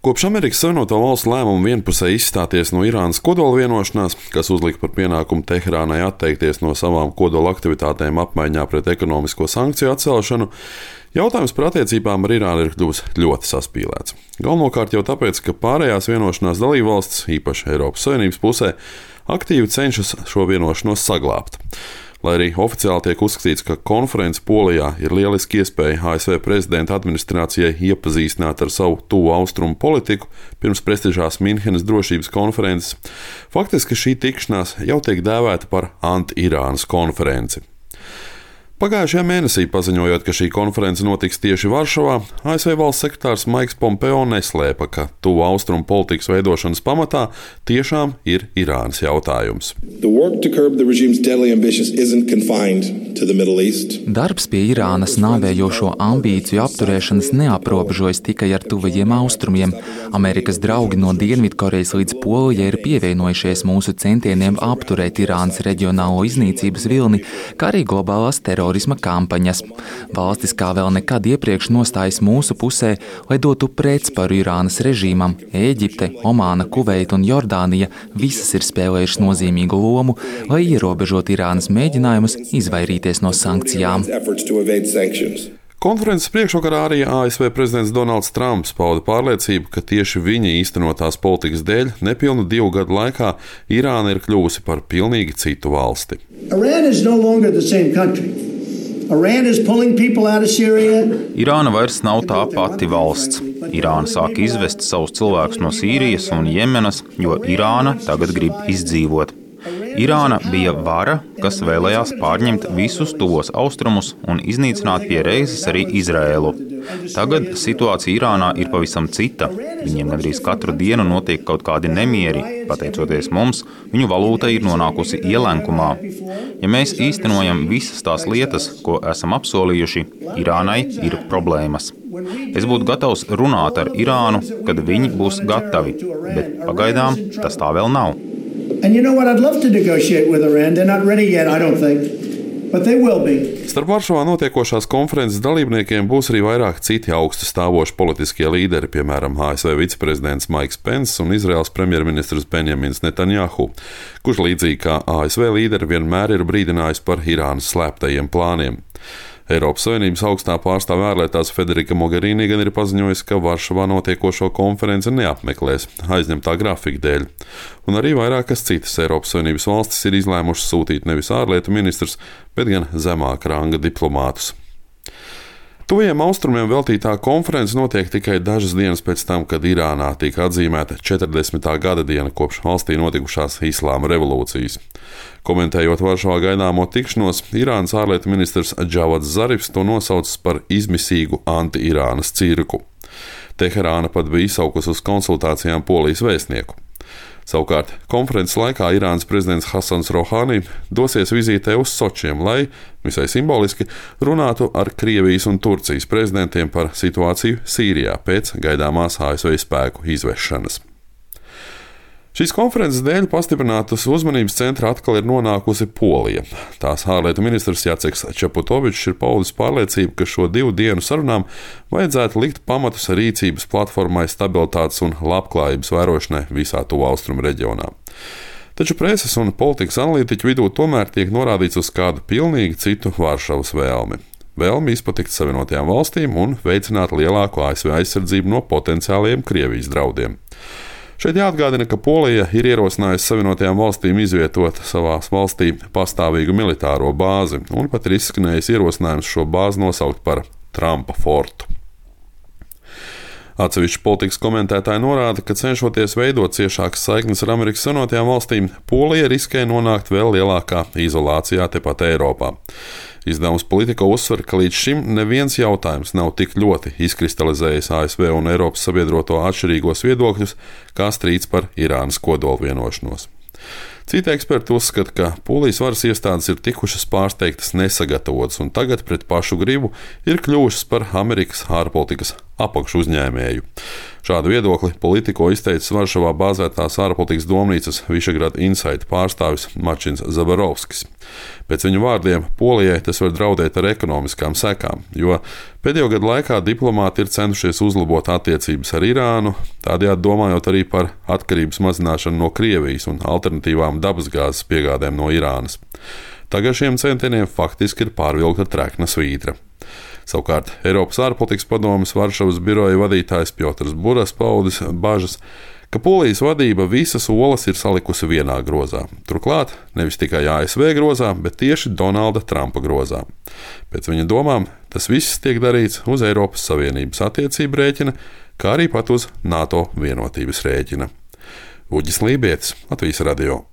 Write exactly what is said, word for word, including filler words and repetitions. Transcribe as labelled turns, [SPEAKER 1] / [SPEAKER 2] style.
[SPEAKER 1] Kopš Amerikas Savienoto Valstu lēmuma vienpusēji izstāties no Irānas kodola vienošanās, kas uzlika par pienākumu Teherānai atteikties no savām kodola aktivitātēm apmaiņā pret ekonomisko sankciju atcelšanu, jautājums par attiecībām ar Irānu ir kļuvis ļoti saspīlēts. Galvenokārt jau tāpēc, ka pārējās vienošanās dalībvalstis, īpaši Eiropas Savienības pusē, aktīvi cenšas šo vienošanos saglābt. Lai arī oficiāli tiek uzskatīts, ka konference Polijā ir lieliski iespēja A S V prezidenta administrācijai iepazīstināt ar savu tuvu austrumu politiku pirms prestižās Minhenes drošības konferences, faktiski šī tikšanās jau tiek dēvēta par anti-Irānas konferenci. Pagājušajā mēnesī paziņojot, ka šī konference notiks tieši Varšavā, A S V valsts sekretārs Maiks Pompeo neslēpa, ka tuvu austrumu politikas veidošanas pamatā tiešām ir Irānas jautājums.
[SPEAKER 2] Darbs pie Irānas nāvējošo ambīciju apturēšanas neaprobežojas tikai ar tuvajiem austrumiem. Amerikas draugi no Dienvidkorejas līdz Polijai ir pievienojušies mūsu centieniem apturēt Irānas reģionālo iznīcības vilni, kā arī globālās terorisma kampaņas. Valstis kā vēl nekad iepriekš nostājas mūsu pusē, lai dotu pretsparu Irānas režīmam. Ēģipte, Omāna, Kuveita un Jordānija visas ir spēlējušas nozīmīgu lomu, lai ierobežot Irānas mēģinājumus izvairīties no sankcijām.
[SPEAKER 1] Konferences priekšvakarā arī A S V prezidents Donalds Trumps pauda pārliecību, ka tieši viņa īstenotās politikas dēļ nepilnu divu gadu laikā Irāna ir kļuvusi par pilnīgi citu valsti.
[SPEAKER 3] Irāna vairs nav tā pati valsts. Irāna sāk izvest savus cilvēkus no Sīrijas un Jemenas, jo Irāna tagad grib izdzīvot. Irāna bija vara, kas vēlējās pārņemt visus tuvos austrumus un iznīcināt pie reizes arī Izraēlu. Tagad situācija Irānā ir pavisam cita. Viņiem gandrīz katru dienu notiek kaut kādi nemieri. Pateicoties mums, viņu valūta ir nonākusi ielenkumā. Ja mēs īstenojam visas tās lietas, ko esam apsolījuši, Irānai ir problēmas. Es būtu gatavs runāt ar Irānu, kad viņi būs gatavi, bet pagaidām tas tā vēl nav.
[SPEAKER 4] And you know what? I'd love to negotiate with Iran. They're not ready yet, I don't think. But they will be.
[SPEAKER 1] Starp Varšavā notiekošās konferences dalībniekiem būs arī vairāk citi augsti stāvoši politiskie līderi, piemēram, A S V viceprezidents Maiks Pence un Izraels premjerministrs Benjamins Netanjahu, kurš līdzīgi kā A S V līderi vienmēr ir brīdinājis par Irānas slēptajiem plāniem. Eiropas Savienības augstā pārstāve ārlietās Federika Mogherini gan ir paziņojusi, ka Varšavā notiekošo konferenci neapmeklēs aizņemtā grafika dēļ. Un arī vairākas citas Eiropas Savienības valstis ir izlēmušas sūtīt nevis ārlietu ministrus, bet gan zemāka ranga diplomātus. Tuvajiem austrumiem veltītā konference notiek tikai dažas dienas pēc tam, kad Irānā tika atzīmēta četrdesmitā gada diena kopš valstī notikušās Islāma revolūcijas. Komentējot Varšavā gaidāmo tikšanos, Irānas ārlietu ministrs Džavads Zarifs to nosaucis par izmisīgu anti-Irānas cirku. Teherāna pat bija izsaukusi uz konsultācijām Polijas vēstnieku. Savukārt, konferences laikā Irānas prezidents Hasans Rohani dosies vizītē uz Sočiem, lai, visai simboliski, runātu ar Krievijas un Turcijas prezidentiem par situāciju Sīrijā pēc gaidāmās A S V spēku izvešanas. Šīs konferences dēļ pastiprinātas uzmanības centrā atkal ir nonākusi Polija. Tās ārlietu ministrs Jaceks Čaputovičs ir paudis pārliecību, ka šo divu dienu sarunām vajadzētu likt pamatus rīcības platformai stabilitātes un labklājības vērošanai visā tuvu austrumu reģionā. Taču preses un politikas analītiķu vidū tomēr tiek norādīts uz kādu pilnīgi citu Varšavas vēlmi. Vēlmi izpatikt Savienotajām valstīm un veicināt lielāku A S V aizsardzību no potenciāliem Krievijas draudiem. Šeit jāatgādina, ka Polija ir ierosinājusi Savienotajām valstīm izvietot savās valstī pastāvīgu militāro bāzi, un pat ir izskanējis ierosinājums šo bāzi nosaukt par Trumpa fortu. Atsevišķi politikas komentētāji norāda, ka cenšoties veidot ciešākas saiknes ar Amerikas Savienotajām valstīm, Polija riskē nonākt vēl lielākā izolācijā tepat Eiropā. Izdevums Politico uzsver, ka līdz šim neviens jautājums nav tik ļoti izkristalizējis A S V un Eiropas sabiedroto atšķirīgos viedokļus, kā strīds par Irānas kodola vienošanos. Citi eksperti uzskata, ka Polijas varas iestādes ir tikušas pārsteigtas nesagatavotas un tagad pret pašu gribu ir kļuvušas par Amerikas ārpolitikas apakšu uzņēmēju. Šādu viedokli Politiko izteicis Varšavā bāzētās ārpolitikas domnīcas Visegrad Insight pārstāvis Mačins Zabarovskis. Pēc viņu vārdiem Polijai tas var draudēt ar ekonomiskām sekām, jo pēdējo gadu laikā diplomāti ir centušies uzlabot attiecības ar Irānu, tādējādi domājot arī par atkarības mazināšanu no Krievijas un alternatīvām dabasgāzes piegādēm no Irānas. Tagad šiem centieniem faktiski ir pārvilkta trekna svītra. Savukārt Eiropas ārpolitikas padomes Varšavas biroja vadītājs Piotrs Buras paudis bažas, ka Polijas vadība visas olas ir salikusi vienā grozā. Turklāt nevis tikai A S V grozā, bet tieši Donalda Trumpa grozā. Pēc viņa domām tas viss tiek darīts uz Eiropas Savienības attiecību rēķina, kā arī pat uz NATO vienotības rēķina. Uģis Lībietis, Latvijas radio.